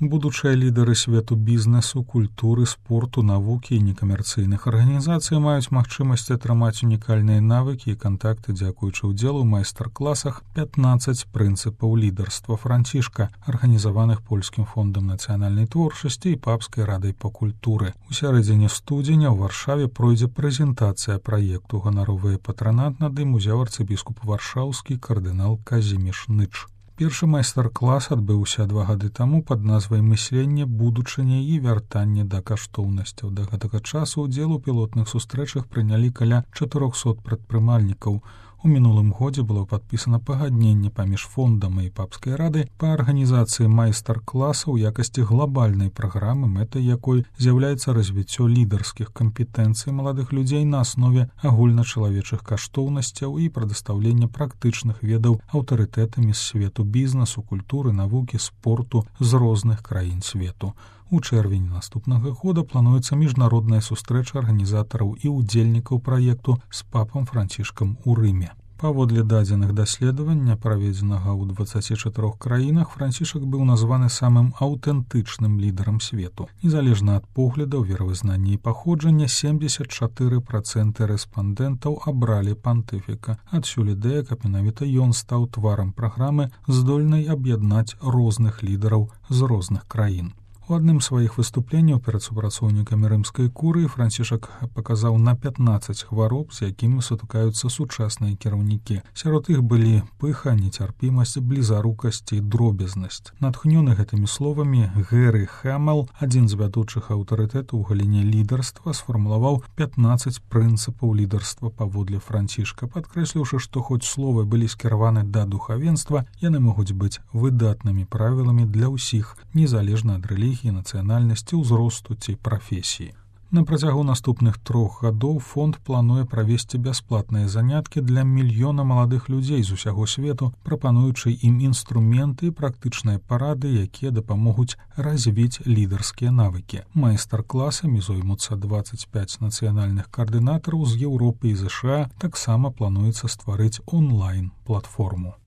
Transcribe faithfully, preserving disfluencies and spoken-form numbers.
Будучыя лідары свету бізнесу, культуры, спорту, навукі і некамерцыйных арганізацый маюць магчымасць атрымаць унікальныя навыкі і кантакты дзякуючы ўдзелу ў майстар-класах пятнаццаць прынцыпаў лідарства Францішка, арганізаваных польскім фондам нацыянальнай творчасці і папскай радай па культуры. У сярэдзіне студзеня ў Варшаве пройдзе прэзентацыя праекту. Ганаровы патранат над ім узяў арцыбіскуп варшаўскі кардынал Казіміш Ныч. Першы майстар-клас адбыўся два гады таму пад назвай «Мысленне, будучыня і вяртанне да каштоўнасцяў». Да гэтага часу ўдзел у пілотных сустрэчах прынялі каля чатырохсот прадпрымальнікаў. У мінулым годзе было падпісана пагадненне паміж фондам і папскай рады па арганізацыі майстар-класа ў якасці глобальнай праграмы, мэтай якой з'яўляецца развіццё лідарскіх кампетэнцый маладых людзей на аснове агульначалавечых каштоўнасцяў і прадастаўлення практычных ведаў аўтарытэтамі з свету бізнесу, культуры, навукі, спорту з розных краін свету. У чэрвені наступнага года плануецца міжнародная сустрэча арганізатараў і ўдзельнікаў праекту з папам Францішкам у Рыме. Паводле дадзеных даследавання, праведзенага ў дваццаці чатырох краінах, Францішак быў названы самым аўтэнтычным лідарам свету. Незалежна ад поглядаў, веравызнання і паходжання, семдзесят чатыры працэнты рэспандэнтаў абралі пантыфіка. Адсюль ідэя, каб менавіта ён стаў тварам праграмы, здольнай аб'яднаць розных лідараў з розных краін. У адным з сваіх выступленняў перад супрацоўнікамі рымскай курыі Францішак паказаў на пятнаццаць хвароб, з якімі сутыкаюцца сучасныя кіраўнікі. Сярод іх былі пыха, нецярпімасць, блізарукасць і дробязнасць. Натхнёны гэтымі словамі, Гэры Хэмэл, адзін з вядучых аўтарытэтаў у галіне лідарства, сфармулаваў пятнаццаць прынцыпаў лідарства паводле Францішка, падкрэсліўшы, што хоць словы былі скіраваны да духавенства, яны могуць быць выдатнымі правіламі для ўсіх, незалежна ад рэлігіі, нацыянальнасці, ўзросту ці прафесіі. На працягу наступных трох гадоў фонд плануе правесці бясплатныя заняткі для мільёна маладых людзей з усяго свету, прапануючы ім інструменты і практычныя парады, якія дапамогуць развіць лідарскія навыкі. Майстар-класамі зоймуцца дваццаць пяць нацыянальных каардынатараў з Еўропы і ЗША. Таксама плануецца стварыць онлайн-платформу.